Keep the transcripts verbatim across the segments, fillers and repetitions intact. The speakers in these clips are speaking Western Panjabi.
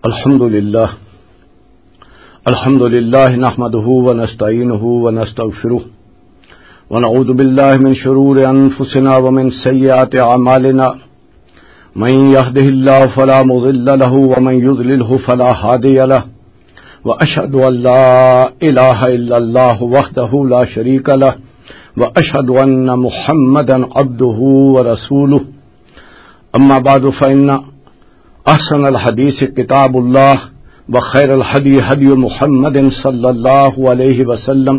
الحمد لله. الحمد لله نحمده ونستعينه ونستغفره، ونعوذ بالله من شرور أنفسنا ومن سيئات أعمالنا. من يهده الله فلا مضل له ومن يضلله فلا هادي له. وأشهد أن لا إله إلا الله وحده لا شريك له، وأشهد أن محمدا عبده ورسوله. أما بعد، فإن أحسن الحديث كتاب الله، وخير الهدي هدي محمد صلى الله عليه وسلم.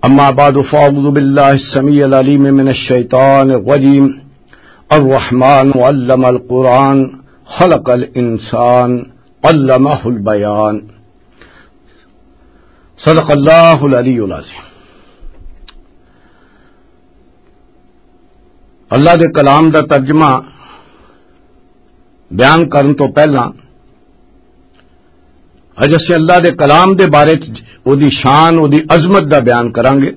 أما بعد، فأعوذ بالله السميع العليم من الشيطان الرجيم. الرحمن علم القرآن، خلق الإنسان، علمه البيان. صدق اللہ العلی العظیم۔ اللہ دے کلام دا ترجمہ بیان کرن تو پہلاں اج اسیں اللہ دے کلام دے بارے چ، او دی شان، او دی عظمت دا بیان کراں گے،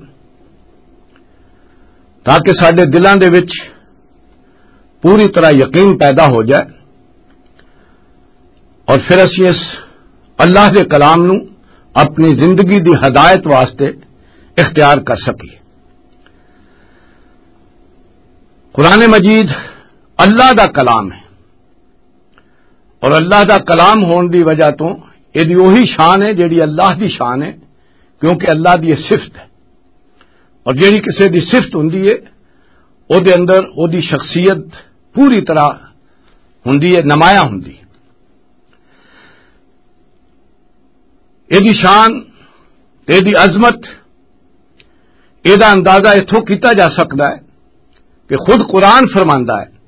تاکہ ساڈے دلاں دے وچ پوری طرح یقین پیدا ہو جائے، اور پھر اسی اس اللہ دے کلام نو اپنی زندگی دی ہدایت واسطے اختیار کر سکیے۔ قرآن مجید اللہ دا کلام ہے، اور اللہ دا کلام ہون دی وجہ تو یہ دی وہی شان ہے جیڑی اللہ دی شان ہے، کیونکہ اللہ دی یہ صفت ہے۔ اور جیڑی کسے دی صفت ہوندی ہے، او دے اندر او دی شخصیت پوری طرح ہوندی ہے، نمایاں ہوندی ہے۔ اے دی شان تے اے دی عظمت، اے دا اندازہ اتھوں کیتا جا سکدا ہے کہ خود قرآن فرماندا ہے،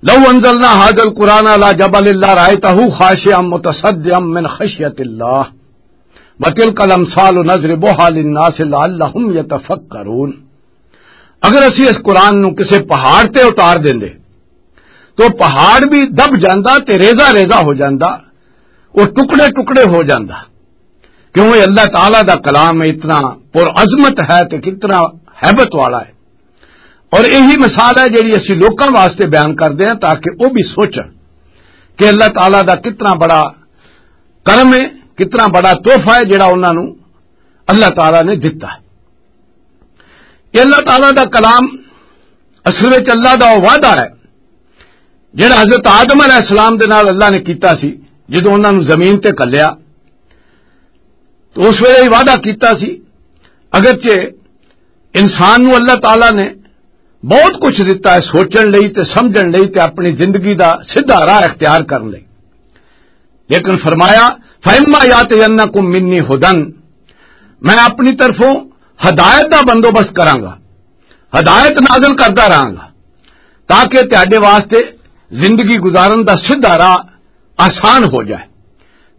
"لو انزلنا هذا القرآن على جبل لرأيته خاشعا متصدعا من خشية الله وتلك الأمثال نضربها للناس لعلهم يتفكرون۔" اگر اسی اس قرآن نو کسے پہاڑ تے اتار دیندے تو پہاڑ بھی دب جاندا تے ریزہ ریزہ ہو جاندا، وہ ٹکڑے ٹکڑے ہو جاندا۔ کیوں؟ یہ اللہ تعالیٰ دا کلام اتنا پر عظمت ہے تے کتنا ہیبت والا ہے۔ اور یہی مثال ہے جیڑی اسی لوکاں واسطے بیان کردے ہیں، تاکہ وہ بھی سوچن کہ اللہ تعالیٰ دا کتنا بڑا کرم ہے، کتنا بڑا تحفہ ہے جیڑا انہاں نو اللہ تعالیٰ نے دتا ہے۔ یہ اللہ تعالیٰ دا کلام اصل وچ اللہ دا وہ وعدہ ہے جڑا حضرت آدم علیہ السلام دے نال اللہ نے کیتا سی۔ جدوں انہاں نوں زمین تے گھلیا تو اس ویلے ہی وعدہ کیتا سی، اگرچہ انسان نوں اللہ تعالیٰ نے بہت کچھ دتا ہے سوچن لئی تے سمجھن لئی تے اپنی زندگی دا سیدھا راہ اختیار کرن لئی، لیکن فرمایا، "فَإِمَّا يَأْتِيَنَّكُم مِّنِّي هُدًى"، میں اپنی طرفوں ہدایت دا بندوبست کراں گا، ہدایت نازل کردا رہاں گا، تاکہ تہاڈے واسطے زندگی گزارن دا سیدھا راہ آسان ہو جائے۔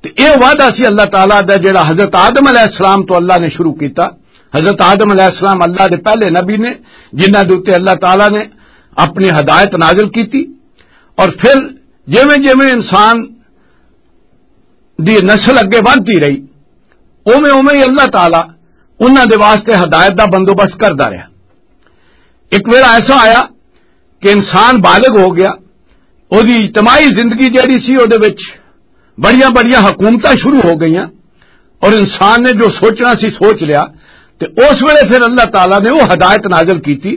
تے اے وعدہ سی اللہ تعالیٰ دا، جڑا حضرت آدم علیہ السلام تو اللہ نے شروع کیتا۔ حضرت آدم علیہ السلام اللہ دے پہلے نبی نے، جنہاں دے اُتے اللہ تعالیٰ نے اپنی ہدایت نازل کیتی، اور پھر جویں جویں انسان دی نسل اگے ودھدی رہی، اوویں اوویں ہی اللہ تعالیٰ انہاں دے واسطے ہدایت دا بندوبست کردا رہیا۔ ایک ویلا ایسا آیا کہ انسان بالغ ہو گیا، او دی اجتماعی زندگی جیڑی سی، او دے وچ بڑیاں بڑیاں حکومتاں شروع ہو گئیاں، اور انسان نے جو سوچنا سی سوچ لیا۔ تے اس ویلے پھر اللہ تعالیٰ نے وہ ہدایت نازل کیتی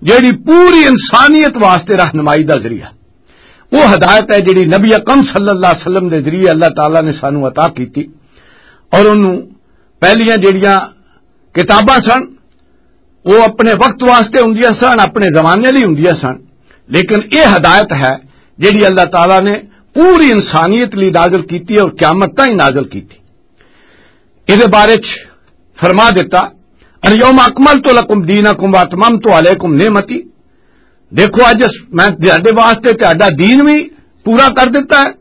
جیڑی پوری انسانیت واسطے رہنمائی دا ذریعہ۔ وہ ہدایت ہے جیڑی نبی اکرم صلی اللہ علیہ وسلم دے ذریعے اللہ تعالیٰ نے سانو عطا کیتی، اور انہوں پہلیاں جیڑیاں کتاباں سن، وہ اپنے وقت واسطے ہوندیاں سن، اپنے زمانے لئی ہوندیاں سن، لیکن یہ ہدایت ہے جیڑی اللہ تعالیٰ نے پوری انسانیت لئی نازل کیتی اور قیامت تائیں نازل کیتی۔ اس بارے چ فرما دیتا، "الیوم اکملت لکم دینکم واتممت علیکم نعمتی"، دیکھو، اج میں تہاڈے واسطے تہاڈا دین بھی پورا کر دیتا ہے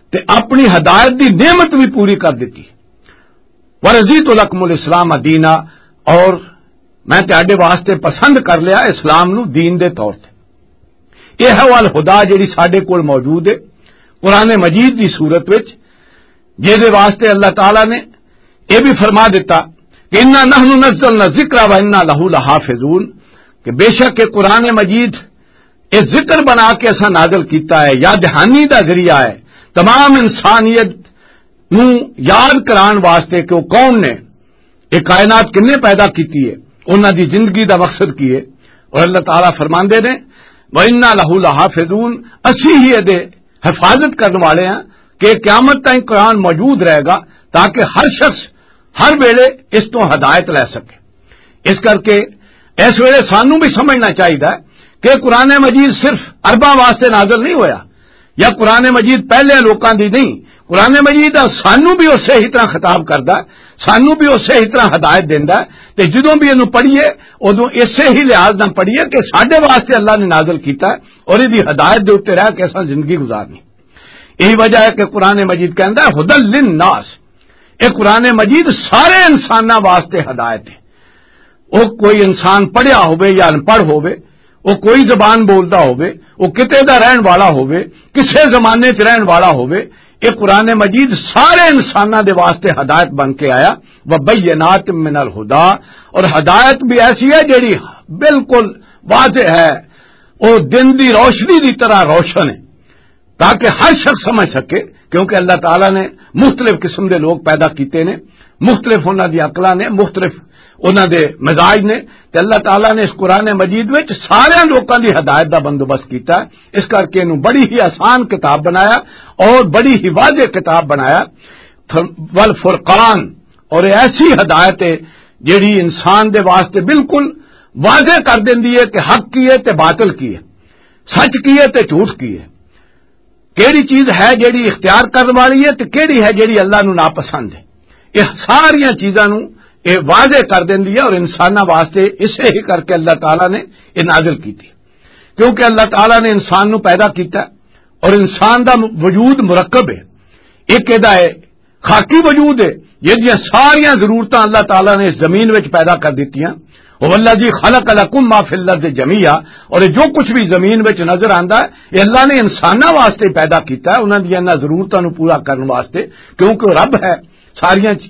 تے اپنی ہدایت دی نعمت بھی پوری کر دیتی۔ "ورضیت لکم الاسلام دینا"، اور میں تہاڈے واسطے پسند کر لیا اسلام نو دین دے طور تے۔ یہ ہے وہ الہدا جیڑی ساڈے کول موجود ہے قرآن مجید دی صورت وچ، جس دے واسطے اللہ تعالیٰ نے یہ بھی فرما دیتا کہ "انا نحن نزلنا الذکر و انا لہ لحافظون"، کہ بے شک یہ قرآن مجید یہ ذکر بنا کے اساں نازل کیتا ہے، یاد دہانی دا ذریعہ ہے، تمام انسانیت نوں یاد کران واسطے کہ وہ کون نے، یہ کائنات کنے پیدا کیتی ہے، انہاں دی زندگی دا مقصد کی ہے۔ اور اللہ تعالیٰ فرماندے نے، "وَإِنَّا لَهُ لَحَافِظُونَ"، اسی ہی دے حفاظت کرن والے ہیں کہ قیامت تائیں قرآن موجود رہے گا، تاکہ ہر شخص ہر ویلے اس تو ہدایت لے سکے۔ اس کر کے اس ویلے سانوں بھی سمجھنا چاہیے کہ قرآن مجید صرف عرباں واسطے نازل نہیں ہویا، یا قرآن مجید پہلے لوکاں دی نہیں۔ قرآن مجید سانوں بھی اسے ہی طرح خطاب کردا ہے، سانوں بھی اسے ہی طرح ہدایت دیندا ہے۔ تے جدوں بھی اینوں پڑھیے، ادوں اسے ہی لحاظ نال پڑھیے کہ ساڈے واسطے اللہ نے نازل کیتا ہے اور ایدی ہدایت دے اوتے رہ کے اساں زندگی گزارنی۔ یہی وجہ ہے کہ قرآن مجید کہندا ہے، "ہدی للناس"۔ اے قرآن مجید سارے انساناں واسطے ہدایت ہے۔ وہ کوئی انسان پڑھیا ہوئے یا ان پڑھ ہوئے، وہ کوئی زبان بولدا ہوئے، وہ کتے دا رہن والا ہوئے، کسے زمانے چ رہن والا ہوئے، یہ قرآن مجید سارے انساناں دے واسطے ہدایت بن کے آیا۔ "وبینات من الہدا"، اور ہدایت بھی ایسی ہے جیڑی بالکل واضح ہے، وہ دن دی روشنی دی طرح روشن ہے، تاکہ ہر شخص سمجھ سکے، کیونکہ اللہ تعالیٰ نے مختلف قسم دے لوگ پیدا کیتے نے، مختلف انہاں دی عقلاں نے، مختلف انہاں دے مزاج نے۔ تے اللہ تعالیٰ نے اس قرآن مجید وچ سارے لوکاں دی ہدایت دا بندوبست کیتا ہے۔ اس کر کے انہوں بڑی ہی آسان کتاب بنایا اور بڑی ہی واضح کتاب بنایا۔ والفرقان، اور یہ ایسی ہدایت ہے جیڑی انسان دے واسطے بالکل واضح کر دیندی ہے کہ حق کی ہے تے باطل کی ہے، سچ کی ہے تے جھوٹ کی ہے، کیڑی چیز ہے جیڑی اختیار کرن والی ہے تے کیڑی ہے جیڑی اللہ نو ناپسند ہے۔ یہ ساریاں چیزاں نو یہ واضح کر دیندی ہے اور انساناں واسطے اسے ہی کر کے اللہ تعالیٰ نے یہ نازل کیتی، کیونکہ اللہ تعالیٰ نے انسان نو پیدا کیتا ہے اور انسان دا وجود مرکب ہے۔ ایک ادا ہے خاکی وجود ہے، جس دیاں ساریاں ضرورتاں اللہ تعالیٰ نے اس زمین وچ پیدا کر دتیاں۔ "هو الذی خلق لکم ما فی الارض جمیعا"، اور یہ جو کچھ بھی زمین وچ نظر آندا ہے، یہ اللہ نے انساناں واسطے پیدا کیتا ہے، انہاں دیاں انہاں ضرورتاں نوں پورا کرن واسطے، کیونکہ وہ رب ہے، ساریاں چ-،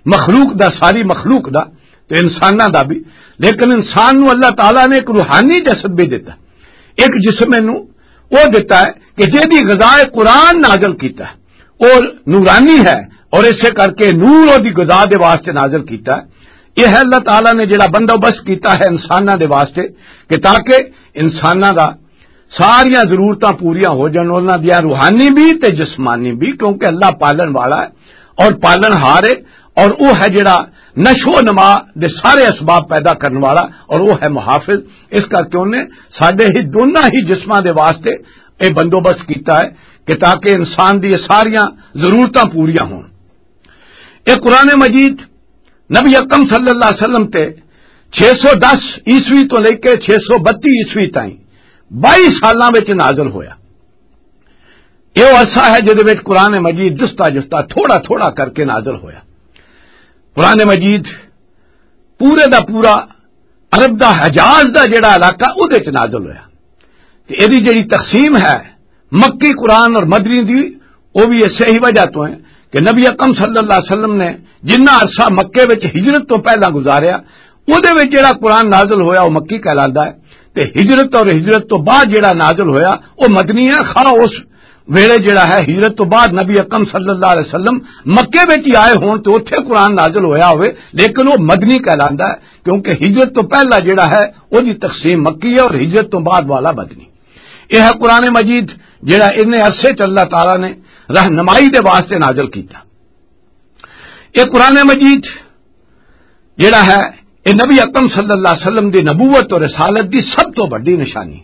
مخلوق دا، ساری مخلوق دا، تے انساناں دا بھی۔ لیکن انسان نوں اللہ تعالیٰ نے ایک روحانی جسد بھی دتا، ایک جسم نوں وہ دتا ہے کہ جے دی غذا قرآن نازل کیتا ہے، اور نورانی ہے، اور اسے کر کے نور اور دی غذا دے واسطے نازل کیتا ہے۔ یہ ہے اللہ تعالیٰ نے جڑا بندوبست کیتا ہے انساناں دے واسطے، کہ تاکہ انساناں دا ساریاں ضرورتاں پوریاں ہو جان، انہاں دیاں روحانی بھی تے جسمانی بھی، کیونکہ اللہ پالن والا ہے اور پالن ہار ہے، اور وہ ہے جڑا نشو و نما دے سارے اسباب پیدا کرن والا، اور وہ ہے محافظ۔ اس کر کے انہیں ساڈے ہی دونوں ہی جسماں دے واسطے یہ بندوبست کیتا ہے کہ تاکہ انسان دی یہ ساریاں ضرورتاں پوریاں ہون۔ یہ قرآن مجید نبی اکرم صلی اللہ علیہ وسلم تے چھ سو دس عیسوی تو لے کے چھ سو بتی عیسوی تائیں بائی سالاں وچ نازل ہویا۔ یہ وہ عرصہ ہے جدے وچ قرآن مجید جستا جستا، تھوڑا تھوڑا کر کے نازل ہویا۔ قرآن مجید پورے دا پورا عرب دا حجاز دا جڑا علاقہ، اودے وچ نازل ہویا۔ تے ایدی جڑی تقسیم ہے مکی قرآن اور مدنی دی، وہ بھی اس صحیح وجہ تو ہے کہ نبی اکرم صلی اللہ علیہ وسلم نے جنہ عرصہ مکے وچ ہجرت تو پہلا گزاریا، اودے وچ جڑا قرآن نازل ہویا، وہ مکی کہلاندا ہے۔ تے ہجرت اور ہجرت تو بعد جڑا نازل ہویا، وہ مدنی ہے۔ خواہ اس ویلے جڑا ہے ہجرت تو بعد نبی اکرم صلی اللہ علیہ وسلم مکے وچ ہی آئے ہون تے اوتھے قرآن نازل ہویا ہوئے، لیکن وہ مدنی کہلاندا ہے، کیونکہ ہجرت تو پہلا جڑا ہے، وہ دی تقسیم مکی ہے اور ہجرت تو بعد والا مدنی۔ یہ ہے قرآن مجید، جڑا اتنے عرصے چ اللہ تعالیٰ نے رہنمائی دے واسطے نازل کیتا۔ یہ قرآن مجید جڑا ہے، یہ نبی اکرم صلی اللہ علیہ وسلم دی نبوت اور رسالت دی سب تو بڑی نشانی،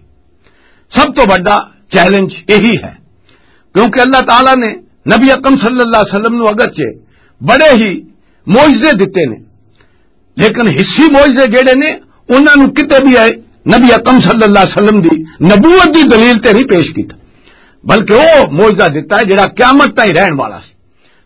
سب تو بڑا چیلنج یہی ہے، کیونکہ اللہ تعالیٰ نے نبی اکرم صلی اللہ علیہ وسلم نو اگرچہ بڑے ہی معجزے دتے نے، لیکن حصی معجزے جڑے نے، انہاں نوں کتے بھی آئے نبی اکرم صلی اللہ علیہ وسلم دی نبوت دی دلیل تے نہیں پیش کیتا، بلکہ وہ معجزہ دتا ہے جڑا قیامت تائیں رہن والا سی۔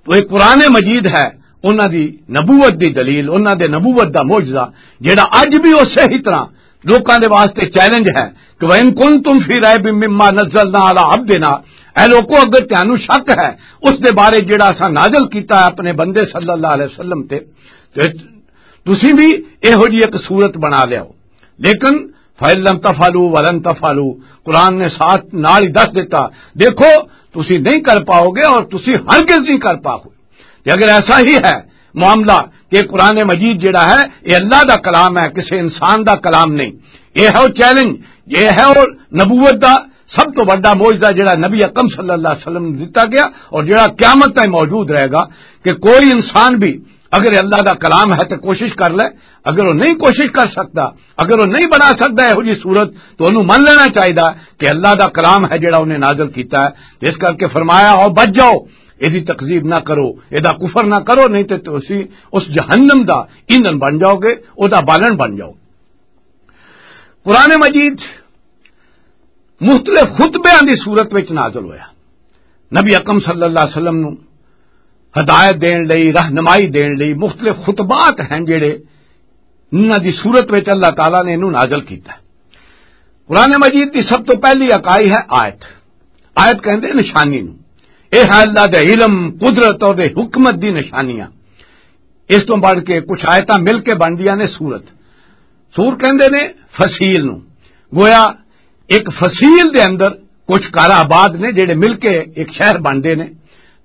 تو یہ قرآن مجید ہے، انہاں دی نبوت دی دلیل، انہاں دے نبوت دا معجزہ، جڑا اج بھی اسی ہی طرح لوکاں دے واسطے چیلنج ہے کہ "وَإِن كُنتُمْ فِي رَيْبٍ مِّمَّا نَزَّلْنَا عَلَىٰ عَبْدِنَا"، اے لوکو، اگر تانوں شک ہے اس دے بارے جڑا اساں نازل کیتا ہے اپنے بندے صلی اللہ علیہ وسلم تے، تے تسی بھی یہو جی ایک صورت بنا لیاؤ۔ لیکن فَإِن لَّمْ تَفْعَلُوا وَلَن تَفْعَلُوا، قرآن نے ساتھ نال ہی دس دیتا، دیکھو، تسی نہیں کر پاؤ گے اور تسی ہرگز نہیں کر پاؤ گے۔ تے اگر ایسا ہی ہے معاملہ کہ قرآن مجید جڑا ہے، یہ اللہ دا کلام ہے، کسی انسان دا کلام نہیں، یہ ہے وہ چیلنج، یہ ہے وہ نبوت دا سب تو بڑا معجزہ جڑا نبی اکرم صلی اللہ علیہ وسلم نوں دتا گیا اور جڑا قیامت تک موجود رہے گا، کہ کوئی انسان بھی اگر اللہ دا کلام ہے تو کوشش کر لے، اگر وہ نہیں کوشش کر سکتا، اگر وہ نہیں بنا سکتا یہو جی صورت، تو انہوں من لینا چاہیے کہ اللہ دا کلام ہے جڑا انہیں نازل کیتا ہے۔ تو اس کر کے فرمایا، "او بچ جاؤ، ایدی تکذیب نہ کرو، ایدا کفر نہ کرو، نہیں تے تسی اس جہنم دا ایندھن بن جاؤ گے، او دا بالن بن جاؤ گے۔" قرآن مجید مختلف خطبیاں دی صورت وچ نازل ہویا۔ نبی اکرم صلی اللہ علیہ وسلم نو ہدایت دین لئی، رہنمائی دین لئی مختلف خطبات ہیں جڑے انہاں دی صورت وچ اللہ تعالیٰ نے انہوں نازل کیتا ہے۔ قرآن مجید دی سب تو پہلی اکائی ہے آیت۔ آیت کہندے نشانی نو۔ اے ہے اللہ دے علم، قدرت اور دے حکمت دی نشانیاں۔ اس تو بڑھ کے کچھ آیتاں مل کے بندیاں نے سورت۔ سور کہندے نے فصیل نو۔ گویا ایک فصیل دے اندر کچھ کار آباد نے جڑے مل کے ایک شہر بندے نے۔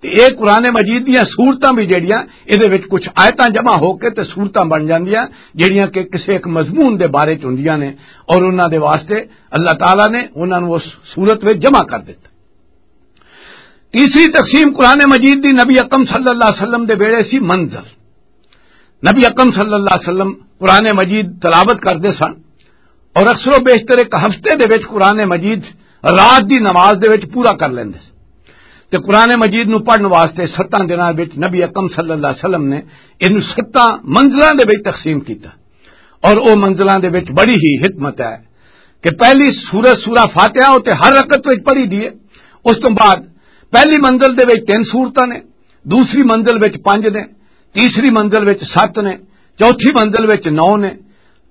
تے اے قرآن مجید دیاں سورتاں بھی جڑیاں، اے دے وچ کچھ آیتاں جمع ہو کے تے سورتاں بن جاندیاں، جڑیاں کہ کسے ایک مضمون دے بارے چ ہوندیاں نے، اور انہاں دے واسطے اللہ تعالیٰ نے انہاں نوں اس سورت وچ جمع کر دتا۔ تیسری تقسیم قرآن مجید دی نبی اکرم صلی اللہ علیہ وسلم دے ویلے سی منزل۔ نبی اکرم صلی اللہ علیہ وسلم قرآن مجید تلاوت کردے سن، اور اکثر و بیشتر ایک ہفتے دے وچ قرآن مجید رات دی نماز دے وچ پورا کر لیندے سن۔ تے قرآن مجید نو پڑھن واسطے ستاں دناں وچ نبی اکرم صلی اللہ علیہ وسلم نے اینو ستاں منزلاں دے وچ تقسیم کیتا، اور او منزلاں دے وچ بڑی ہی حکمت ہے کہ پہلی سورہ، سورہ فاتحہ، او تے ہر رکعت وچ پڑھی دی ہے۔ اس تو بعد پہلی منزل دے وچ تین سورتاں نے، دوسری منزل وچ پنج نے، تیسری منزل وچ ست نے، چوتھی منزل وچ نو نے،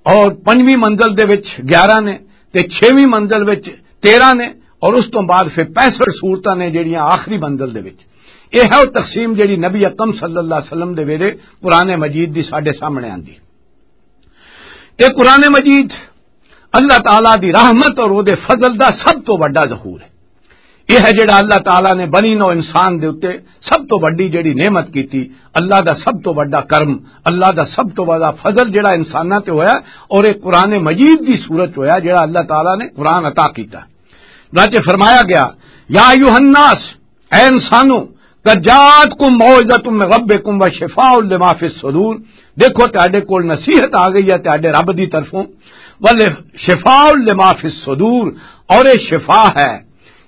اور پنجویں منزل دے وچ گیارہ نے، تے چھیویں منزل وچ تیرہ نے، اور اس تو بعد پھر پینسٹھ سورتاں نے جڑیاں آخری منزل دے وچ۔ یہ ہے وہ تقسیم جڑی نبی اکرم صلی اللہ علیہ وسلم دے ویلے قرآن مجید دی ساڈے سامنے آندی۔ یہ قرآن مجید اللہ تعالیٰ دی رحمت اور او دے فضل دا سب تو بڑا ظہور ہے۔ یہ ہے جڑا اللہ تعالیٰ نے بنی نو انسان دے اُتے سب تو بڑی جڑی نعمت کیتی، اللہ دا سب تو بڑا کرم، اللہ دا سب تو بڑا فضل جڑا انساناں تے ہویا، اور یہ قرآن مجید دی صورت ہویا جڑا اللہ تعالیٰ نے قرآن عطا کیتا۔ چنانچہ فرمایا گیا، یا ایھا الناس، اے انسانو، قد جاءتکم موعظۃ من ربکم و شفاء لما فی الصدور، دیکھو تہاڈے کول نصیحت آ گئی ہے تہاڈے رب دی طرفوں، ول شفاء لما فی الصدور، اور یہ شفا ہے،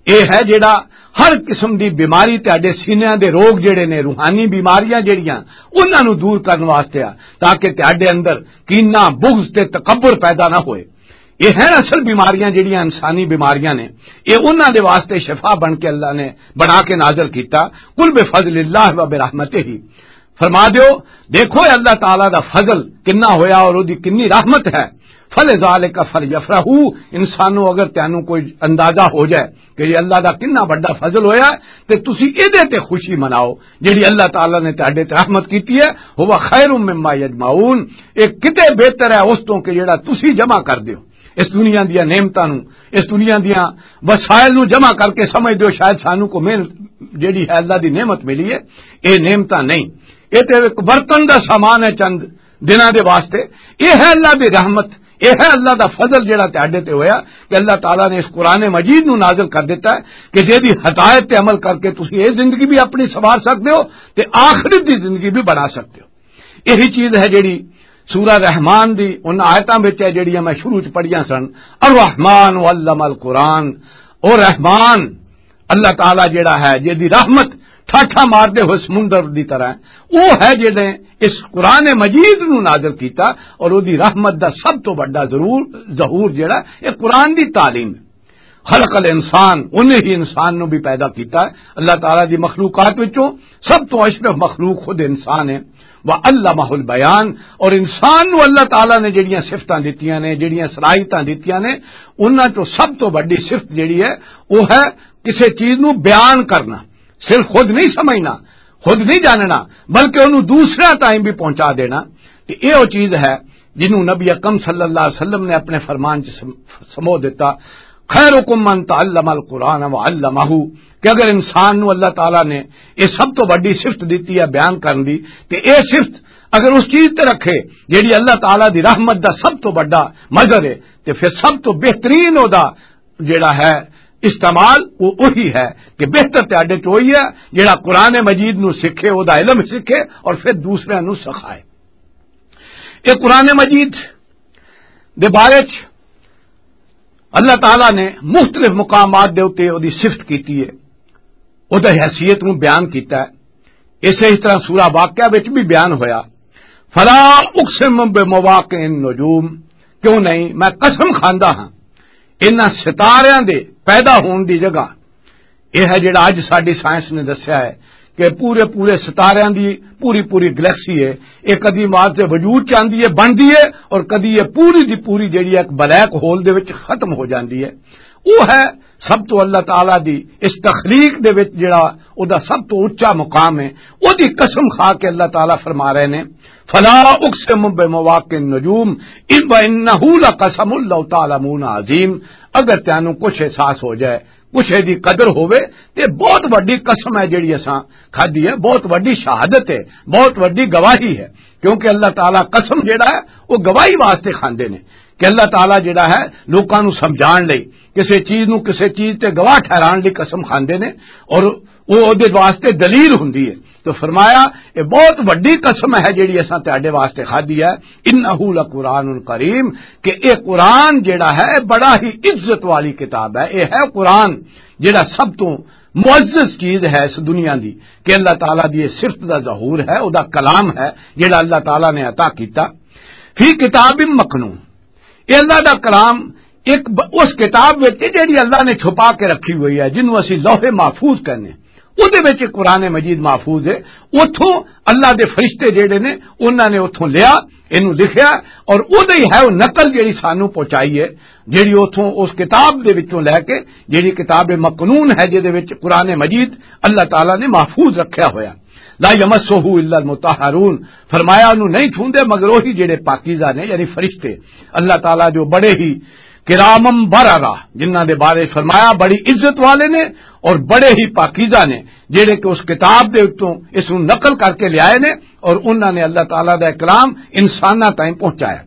یہ ہے جڑا ہر قسم دی بیماری، تہاڈے سینیاں دے روگ جڑے نے، روحانی بیماریاں جڑیاں، انہاں نوں دور کرن واسطے آ، تاکہ تہاڈے اندر کینہ، بغض تے تکبر پیدا نہ ہوئے۔ یہ ہیں اصل بیماریاں جڑیاں انسانی بیماریاں نے، یہ انہاں دے واسطے شفا بن کے اللہ نے بنا کے نازل کیتا۔ قل بفضل اللہ و برحمتہ، فرما دیو، دیکھو اے اللہ تعالیٰ دا فضل کنا ہویا اور او دی کنی رحمت ہے۔ فلذالک فلیفرحوا، انسانوں اگر تینوں کوئی اندازہ ہو جائے کہ یہ اللہ دا کنا بڑا فضل ہویا ہے، تے تسی اے دے تے خوشی مناؤ جڑی اللہ تعالیٰ نے تہاڈے تے رحمت کیتی ہے۔ ہوا خیر مما یجمعون، اے کتے بہتر ہے اس تو کہ جڑا تسی جمع کر دیو۔ اس دنیا دیاں نعمتاں نوں، اس دنیا دیاں وسائل نوں جمع کر کے سمجھ دیو شاید سانوں کو محنت جڑی ہے اللہ دی نعمت ملی ہے، اے نعمتاں نہیں، اے تے ایک برتن دا سامان ہے چند دناں دے واسطے۔ اے ہے اللہ دی رحمت، اے ہے اللہ دا فضل جڑا تہاڈے تے ہویا کہ اللہ تعالیٰ نے اس قرآن مجید نوں نازل کر دیتا ہے کہ جے دی ہدایت تے عمل کر کے تسی اے زندگی بھی اپنی سنوار سکدے ہو تے آخرت دی زندگی بھی بنا سکدے ہو۔ یہی چیز ہے جڑی سورہ رحمان دی ان آیتاں وچ ہے جڑیاں میں شروع چ پڑھیاں سن، الرحمن علم القرآن، او رحمان اللہ تعالیٰ جڑا ہے جے دی رحمت ٹھاٹھا مار دے ہوئے سمندر دی طرح ہے، وہ ہے جڑے اس قرآن مجید نو نازل کیتا، اور وہ دی رحمت دا سب تو بڑا ضرور ظہور جڑا ہے، یہ قرآن دی تعلیم ہے۔ خلق الانسان، انہیں ہی انسان نو بھی پیدا کیتا ہے۔ اللہ تعالیٰ دی مخلوقات وچوں سب تو اشرف مخلوق خود انسان ہے۔ وعلمہ البیان، اور انسان نو اللہ تعالیٰ نے جڑیاں صفتاں دتیاں نے، جڑیاں صلاحیتاں دتیاں نے، انہاں چوں سب تو بڑی صفت جڑی ہے، وہ ہے کسے چیز نو بیان کرنا۔ صرف خود نہیں سمجھنا، خود نہیں جاننا، بلکہ انہوں دوسرا تائیں بھی پہنچا دینا۔ تے یہ وہ چیز ہے جنہوں نبی اکرم صلی اللہ علیہ وسلم نے اپنے فرمان چ سم-، سمو دیتا۔ خیرکم من تعلم القرآن وعلمہ، کہ اگر انسان نو اللہ تعالیٰ نے یہ سب تو بڑی صفت دیتی ہے بیان کرن دی، تے یہ صفت اگر اس چیز تے رکھے جیڑی اللہ تعالیٰ دی رحمت دا سب تو بڑا مظہر ہے، تے پھر سب تو بہترین او دا جیڑا ہے استعمال، وہ وہی ہے کہ بہتر تے اڈے چ وہی ہے جیڑا قرآن مجید نو سکھے، او دا علم سکھے اور پھر دوسرے نو سکھائے۔ یہ قرآن مجید دے بارے چ اللہ تعالیٰ نے مختلف مقامات دے اُتے اودی صفت کیتی ہے، اودی حیثیت نوں بیان کیتا ہے۔ اسے ہی طرح سورہ واقعہ وچ بھی بیان ہویا، "فلا اقسم بمواقع النجوم"، کیوں نہیں، میں قسم کھاندا ہاں انہاں ستاریاں دے پیدا ہون دی جگہ۔ یہ ہے جڑا اج ساڈی سائنس نے دسیا ہے کہ پورے پورے ستاریاں دی پوری پوری گلیکسی ہے، یہ کدی مار سے وجود چ آندی ہے، بندی ہے، اور کدی یہ پوری دی پوری جڑی ہے ایک بلیک ہول دے وچ ختم ہو جاندی ہے۔ وہ ہے سب تو اللہ تعالیٰ دی اس تخلیق دے وچ جڑا او دا سب تو اچا مقام ہے، او دی قسم کھا کے اللہ تعالیٰ فرما رہے نے، "فلا اقسم بمواقع النجوم، ان وانہ لقسم لو تعلمون عظیم"۔ اگر تینوں کچھ احساس ہو جائے، کچھ دی قدر ہووے، تے بہت وڈی قسم ہے جڑی اساں کھادی ہے، بہت وڈی شہادت ہے، بہت وڈی گواہی ہے، کیونکہ اللہ تعالیٰ قسم جڑا ہے، وہ گواہی واسطے کھاندے نے کہ اللہ تعالیٰ جڑا ہے لوکاں نوں سمجھان لئی، کسے چیز نوں کسے چیز تے گواہ ٹھہران لئی قسم کھاندے نے، اور وہ اودے واسطے دلیل ہوندی ہے۔ تو فرمایا، یہ بہت وڈی قسم ہے جڑی اساں تہاڈے واسطے کھادی ہے، انہ لقرآن کریم، کہ یہ قرآن جڑا ہے بڑا ہی عزت والی کتاب ہے۔ یہ ہے قرآن جڑا سب تو معزز چیز ہے اس دنیا دی، کہ اللہ تعالیٰ دی یہ صفت دا ظہور ہے، او دا کلام ہے جڑا اللہ تعالیٰ نے عطا کیتا۔ فی کتاب مکنون، یہ اللہ دا کلام ایک ب-، اس کتاب وچ ہے جڑی اللہ نے چھپا کے رکھی ہوئی ہے، جنوں اسی لوح محفوظ کہنے، اودے وچ قرآن مجید محفوظ ہے۔ اتھوں اللہ دے فرشتے جڑے نے، انہاں نے اتھوں لیا، اینوں لکھیا، اور اودے ہی ہے وہ نقل جڑی سانوں پہنچائی ہے، جڑی اتھوں اس کتاب دے وچوں لے کے، جڑی کتاب مکنون ہے، جے دے وچ قرآن مجید اللہ تعالیٰ نے محفوظ رکھیا ہویا۔ لا یمسہ الا المطہرون، فرمایا انہوں نہیں چھوندے مگر وہی جڑے پاکیزہ نے، یعنی فرشتے۔ اللہ تعالیٰ جو بڑے ہی کرامم بررہ، جنہاں دے بارے فرمایا بڑی عزت والے نے اور بڑے ہی پاکیزہ نے، جڑے کہ اس کتاب دے اتوں اس نوں نقل کر کے لے آئے نے، اور انہاں نے اللہ تعالیٰ دا کلام انساناں تائیں پہنچایا۔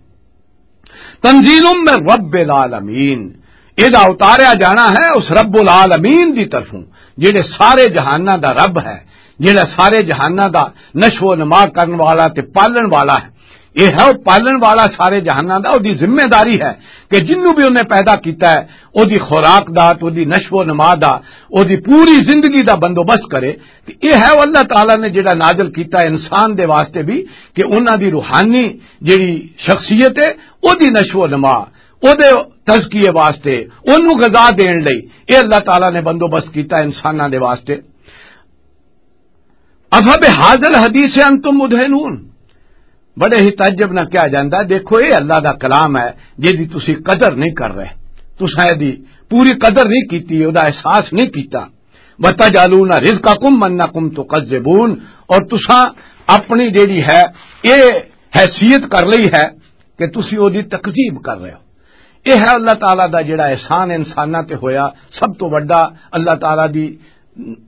تنزیل من رب العالمین، اے دا اتاریا جانا ہے اس رب العالمین دی طرفوں، جڑے سارے جہاناں دا رب ہے، جڑا سارے جہاناں دا نشو و نما کرن والا تے پالن والا ہے۔ یہ ہے وہ پالن والا سارے جہاناں دا، وہ دی ذمہ داری ہے کہ جنوں بھی انہیں پیدا کیتا ہے، وہ دی خوراک دا، تو دی نشو و نما دا، وہ دی پوری زندگی دا بندوبست کرے۔ تے یہ ہے وہ اللہ تعالیٰ نے جڑا نازل کیتا ہے انسان دے واسطے بھی، کہ انہاں دی روحانی جڑی شخصیت ہے، او دی نشو و نما، او دے تزکیے واسطے، اونوں غذا دین لئی، اے اللہ تعالیٰ نے بندوبست کیتا انساناں دے واسطے۔ افبہذا الحدیث انتم مدہنون، بڑے ہی تعجب نہ کیا جاندا۔ دیکھو، اے اللہ دا کلام ہے، جس دی تسی قدر نہیں کر رہے، تساں اے دی پوری قدر نہیں کیتی، او دا احساس نہیں کیتا۔ وَتَجْعَلُونَ رِزْقَكُمْ أَنَّكُمْ تُكَذِّبُونَ، اور تساں اپنی جیڑی ہے، اے حیثیت کر لئی ہے کہ تسی او دی تکذیب کر رہے ہو۔ اے ہے اللہ تعالیٰ دا جیڑا احسان انساناں تے ہویا، سب تو وڈا اللہ تعالیٰ دی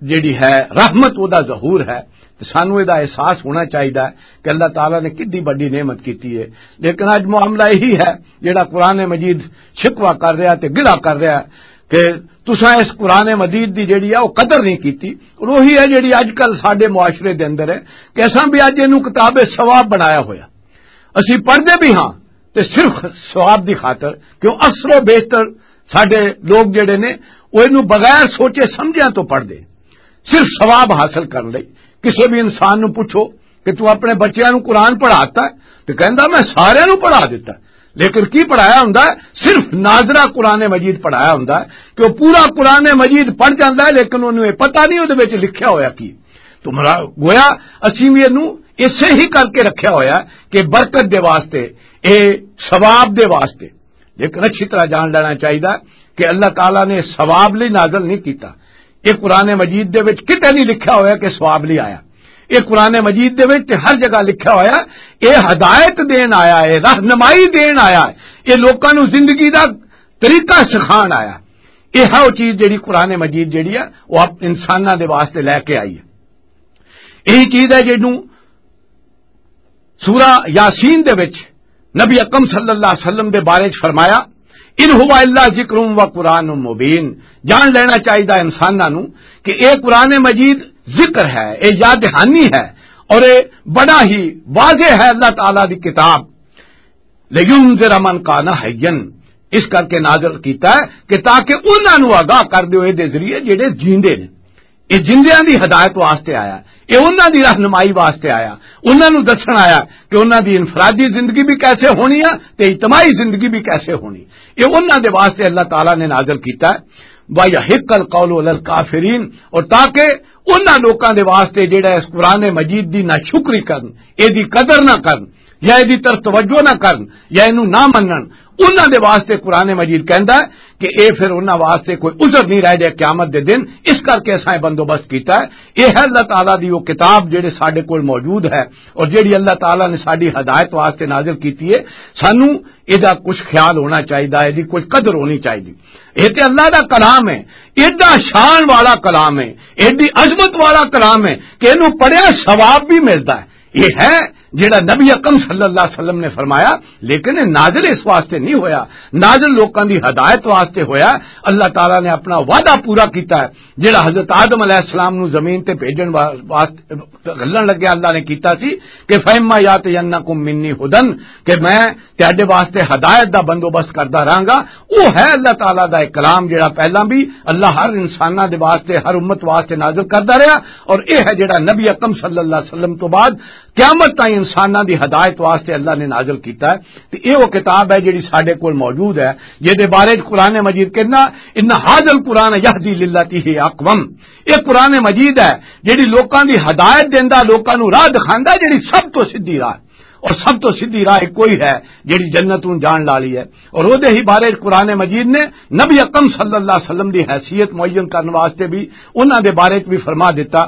جیڑی ہے رحمت، او دا ظہور ہے۔ تے سانوں اے دا احساس ہونا چاہیدا ہے کہ اللہ تعالیٰ نے کتنی وڈی نعمت کیتی ہے۔ لیکن اج معاملہ یہی ہے، جیڑا قرآن مجید شکوہ کر رہا تے گلہ کر رہا ہے کہ تساں اس قرآن مجید دی جیڑی ہے، او قدر نہیں کیتی۔ اور وہی ہے جیڑی اج کل ساڈے معاشرے دے اندر ہے کہ اساں بھی اج اینوں کتاب ثواب بنایا ہویا، اسی پڑھدے بھی ہاں، تے صرف ثواب دی خاطر، کیوں اکثر و بیشتر ساڈے لوگ جڑے نے، او اینوں بغیر سوچے سمجھیاں تو پڑھدے، صرف ثواب حاصل کرن لئی۔ کسے بھی انسان نوں پوچھو کہ تو اپنے بچیاں نوں قرآن پڑھاتا ہے، تے کہندا، "میں ساریاں نوں پڑھا دتا ہے۔" لیکن کی پڑھایا ہوندا ہے؟ صرف ناظرہ قرآن مجید پڑھایا ہوندا ہے کہ وہ پورا قرآن مجید پڑھ جاندا ہے، لیکن انہوں یہ پتہ نہیں وہ وچ لکھیا ہویا کی۔ تو مرا-، گویا اسی بھی اینوں اسے ہی کر کے رکھیا ہویا کہ برکت دے واسطے، اے ثواب دے واسطے۔ لیکن اچھی طرح جان لینا چاہیے کہ اللہ تعالیٰ نے ثواب لئی نازل نہیں کیتا۔ یہ قرآن مجید دے وچ کتے نہیں لکھیا ہویا کہ ثواب لئی آیا۔ یہ قرآن مجید دے وچ تے ہر جگہ لکھیا ہویا، یہ ہدایت دین آیا ہے، رہنمائی دین آیا ہے، یہ لوکاں نوں زندگی دا طریقہ سکھان آیا۔ یہ ہے وہ چیز جڑی قرآن مجید جڑی ہے، وہ آپ انساناں دے واسطے لے کے آئی ہے۔ یہی چیز ہے جنوں سورہ یاسین دے وچ نبی اکرم صلی اللہ علیہ وسلم دے بارے چ فرمایا، "ان ہوا الا ذکر و قرآن مبین۔" جان لینا چاہیدا انساناں نوں کہ اے قرآن مجید ذکر ہے، اے یاد دہانی ہے، اور اے بڑا ہی واضح ہے اللہ تعالیٰ دی کتاب۔ "لینذر من کان حیا"، اس کر کے نازل کیتا ہے کہ تاکہ انہاں نوں آگاہ کر دیو اے دے ذریعے جڑے جیندے نے۔ اے جیندیاں دی ہدایت واسطے آیا، اے انہاں دی رہنمائی واسطے آیا، انہاں نوں دسن آیا کہ انہاں دی انفرادی زندگی بھی کیسے ہونی ہے تے اجتماعی زندگی بھی کیسے ہونی۔ اے انہاں دے واسطے اللہ تعالیٰ نے نازل کیتا ہے۔ "وَيَحِقَّ الْقَوْلُ عَلَى الْكَافِرِينَ"، اور تاکہ انہاں لوکاں دے واسطے جڑا اس قرآن مجید دی ناشکری کرن، اے دی قدر نہ کرن، یا اے دی طرف توجہ نہ کرن، یا اینوں نہ منن، انہاں دے واسطے قرآن مجید کہندا ہے کہ اے پھر انہاں واسطے کوئی عذر نہیں رہ جائے قیامت دے دن۔ اس کر کے اساں اے بندوبست کیتا ہے۔ اے ہے اللہ تعالیٰ دی وہ کتاب جڑے ساڈے کول موجود ہے، اور جڑی اللہ تعالیٰ نے ساڈی ہدایت واسطے نازل کیتی ہے۔ سانوں اے دا کچھ خیال ہونا چاہیدا ہے، اے دی کچھ قدر ہونی چاہیدی۔ اے تے اللہ دا کلام ہے، ایڈا شان والا کلام ہے، ایڈی عظمت والا کلام ہے کہ اینوں پڑھیا ثواب بھی ملدا ہے۔ یہ ہے جڑا نبی اکرم صلی اللہ علیہ وسلم نے فرمایا، لیکن یہ نازل اس واسطے نہیں ہویا، نازل لوکاں دی ہدایت واسطے ہویا۔ اللہ تعالیٰ نے اپنا وعدہ پورا کیتا ہے، جڑا حضرت آدم علیہ السلام نو زمین تے بھیجن وا-، واسطے گھلن لگیا اللہ نے کیتا سی کہ "فَإِمَّا يَأْتِيَنَّكُم مِّنِّي هُدًى"، کہ میں تہاڈے واسطے ہدایت دا بندوبست کردا رہاں گا۔ وہ ہے اللہ تعالیٰ دا ایک کلام جڑا پہلاں بھی اللہ ہر انساناں دے واسطے، ہر امت واسطے نازل کردا رہیا، اور یہ ہے جڑا نبی اکرم صلی اللہ علیہ وسلم تو بعد قیامت تائیں انساناں دی ہدایت واسطے اللہ نے نازل کیتا ہے۔ تے یہ وہ کتاب ہے جڑی ساڈے کول موجود ہے، جے دے بارے چ قرآن مجید کہنا، "ان هذا القرآن يهدي للتي هي أقوم"۔ یہ قرآن مجید ہے جڑی لوکاں دی ہدایت دیندا، لوکاں نوں راہ دکھاندا، جڑی سب تو سیدھی راہ۔ اور سب تو سیدھی راہ کوئی ہے جڑی جنت نوں جان والی ہے۔ اور وہ دے ہی بارے قرآن مجید نے نبی اکرم صلی اللہ علیہ وسلم دی حیثیت معین کرن واسطے بھی انہاں دے بارے چ بھی فرما دیتا،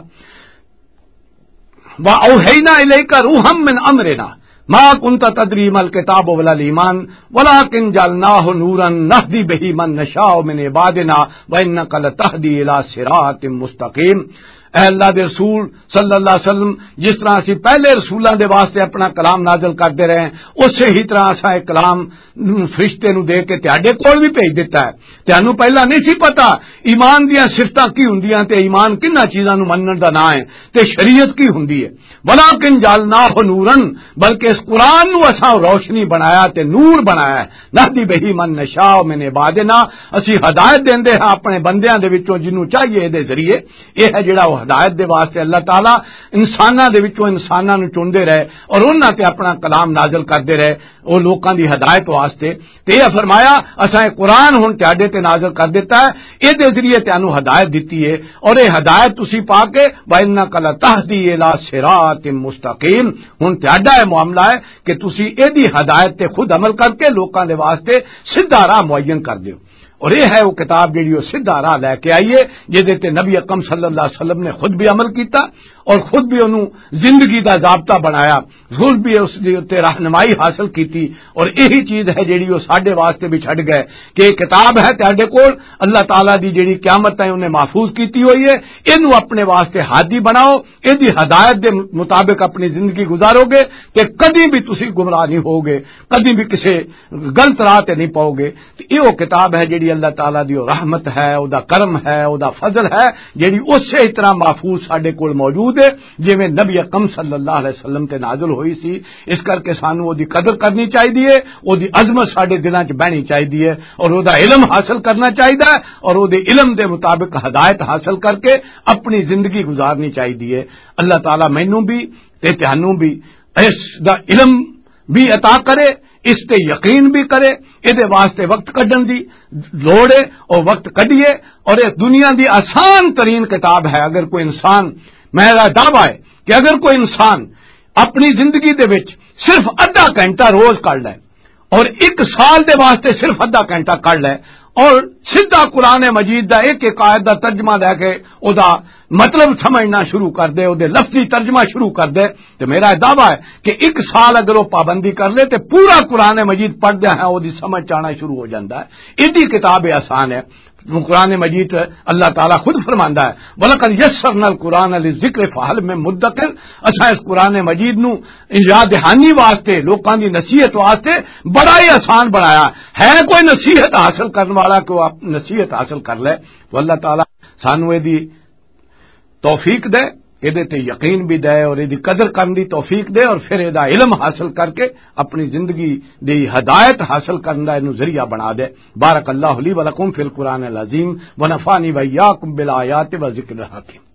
"وَأَوْحَيْنَا إِلَيْكَ رُوحًا مِّنْ أَمْرِنَا مَا كُنْتَ تَدْرِي مَا الْكِتَابُ وَلَا الْإِيمَانُ وَلَٰكِنْ جَعَلْنَاهُ نُورًا نَهْدِي بِهِ مَن نَّشَاءُ مِنْ عِبَادِنَا وَإِنَّكَ لَتَهْدِي إِلَىٰ صِرَاطٍ مُّسْتَقِيمٍ۔" اے اللہ دے رسول صلی اللہ علیہ وسلم، جس طرح اسی پہلے رسولاں دے واسطے اپنا کلام نازل کرتے رہے ہیں، اسی ہی طرح اساں ایک کلام نوں فرشتے نوں دے کے تہاڈے کول بھی بھیج دتا ہے۔ تہانوں پہلا نہیں سی پتا ایمان دیاں صفتاں کی ہوندیاں تے ایمان کناں چیزاں نوں منن دا نام ہے تے شریعت کی ہوندی ہے۔ "وَلَٰكِنْ جَعَلْنَاهُ نُورًا"، بلکہ اس قرآن نوں اساں روشنی بنایا تے نور بنایا ہے۔ "نَهْدِي بِهِ مَن نَّشَاءُ مِنْ عِبَادِنَا"، اسی ہدایت دیندے ہاں اپنے بندیاں دے وچوں جنوں چاہیے دے ذریعے۔ یہ ہے جڑا وہ ہدایت دے واسطے اللہ تعالیٰ انساناں دے وچوں انساناں نوں چندے رہے اور انہاں تے اپنا کلام نازل کردے رہے، وہ لوکاں دی ہدایت واسطے۔ تے یہ فرمایا، "اساں یہ قرآن ہن تہاڈے تے نازل کر دیتا ہے، اے دے ذریعے تانوں ہدایت دتی ہے، اور یہ ہدایت تسی پا کے وَإِنَّكَ لَتَهْدِي إِلَىٰ صِرَاطٍ مُّسْتَقِيمٍ۔" ہن تہاڈا یہ معاملہ ہے کہ تسی اے دی ہدایت تے خود عمل کر کے لوکاں دے واسطے سیدھا راہ معین کر دیو۔ اور یہ ہے وہ کتاب جڑی وہ سیدھا راہ لے کے آئی ہے، جہدے تے نبی اکرم صلی اللہ علیہ وسلم نے خود بھی عمل کیتا اور خود بھی انہوں زندگی دا ضابطہ بنایا، خود بھی اس دے اُتے رہنمائی حاصل کیتی۔ اور یہی چیز ہے جڑی وہ ساڈے واسطے بھی چھڈ گئے کہ یہ کتاب ہے تہاڈے کول، اللہ تعالیٰ دی جڑی قیامت تائیں انہیں محفوظ کیتی ہوئی ہے، اینوں اپنے واسطے ہادی بناؤ، اے دی ہدایت دے مطابق اپنی زندگی گزارو گے تے کدی بھی تسی گمراہ نہیں ہوگے، کدی بھی کسے غلط راہ تے نہیں پاؤ گے۔ تے اے او کتاب ہے جڑی اللہ تعالیٰ دی او رحمت ہے، او دا کرم ہے، او دا فضل ہے، جڑی اسی طرح محفوظ ساڈے کول موجود ہے جویں نبی اکرم صلی اللہ علیہ وسلم تے نازل ہوئی سی۔ اس کر کے سانو او دی قدر کرنی چاہیے، او دی عظمت ساڈے دلاں چ بہنی چاہیے اور او دا علم حاصل کرنا چاہیے اور او دے علم دے مطابق ہدایت حاصل کر کے اپنی زندگی گزارنی چاہیے۔ اللہ تعالیٰ مینوں بھی تے تہانوں بھی اس دا علم بھی عطا کرے، اس تے یقین بھی کرے، اے دے واسطے وقت کڈن دی لوڑ ہے، او وقت کڈیے۔ اور اس دنیا دی آسان ترین کتاب ہے۔ اگر کوئی انسان، میرا دعویٰ ہے کہ اگر کوئی انسان اپنی زندگی دے وچ صرف ادھا گھنٹہ روز کڈ لے، اور ایک سال دے واسطے صرف ادھا گھنٹہ کڈ لے اور سیدھا قرآن مجید دا ایک ایک آیت دا ترجمہ لے کے او دا مطلب سمجھنا شروع کر دے، او دے لفظی ترجمہ شروع کر دے، تے میرا یہ دعویٰ ہے کہ ایک سال اگر وہ پابندی کر لے تے پورا قرآن مجید پڑھ دے ہیں، او دی سمجھ آنا شروع ہو جاتا ہے۔ ایڈی کتاب آسان ہے۔ قرآن مجید اللہ تعالیٰ خود فرماندا ہے، "وَلَقَدْ يَسَّرْنَا الْقُرْآنَ لِلذِّكْرِ فَهَلْ مِن مُّدَّكِرٍ۔" اساں اس قرآن مجید نو یاد دہانی واسطے، لوکاں دی نصیحت واسطے بڑا ہی آسان بنایا۔ ہے کوئی نصیحت حاصل کرن والا کہ وہ آپ نصیحت حاصل کر لے؟ وہ اللہ تعالیٰ سانو اے دی توفیق دے، اے دے تے یقین بھی دے اور اے دی قدر کرن دی توفیق دے، اور پھر اے دا علم حاصل کر کے اپنی زندگی دی ہدایت حاصل کرن دا اینو ذریعہ بنا دے۔ بارک اللہ لی و لکم فی القرآن العظیم و نفعنی و ایاکم بالآیات و ذکر الحکیم۔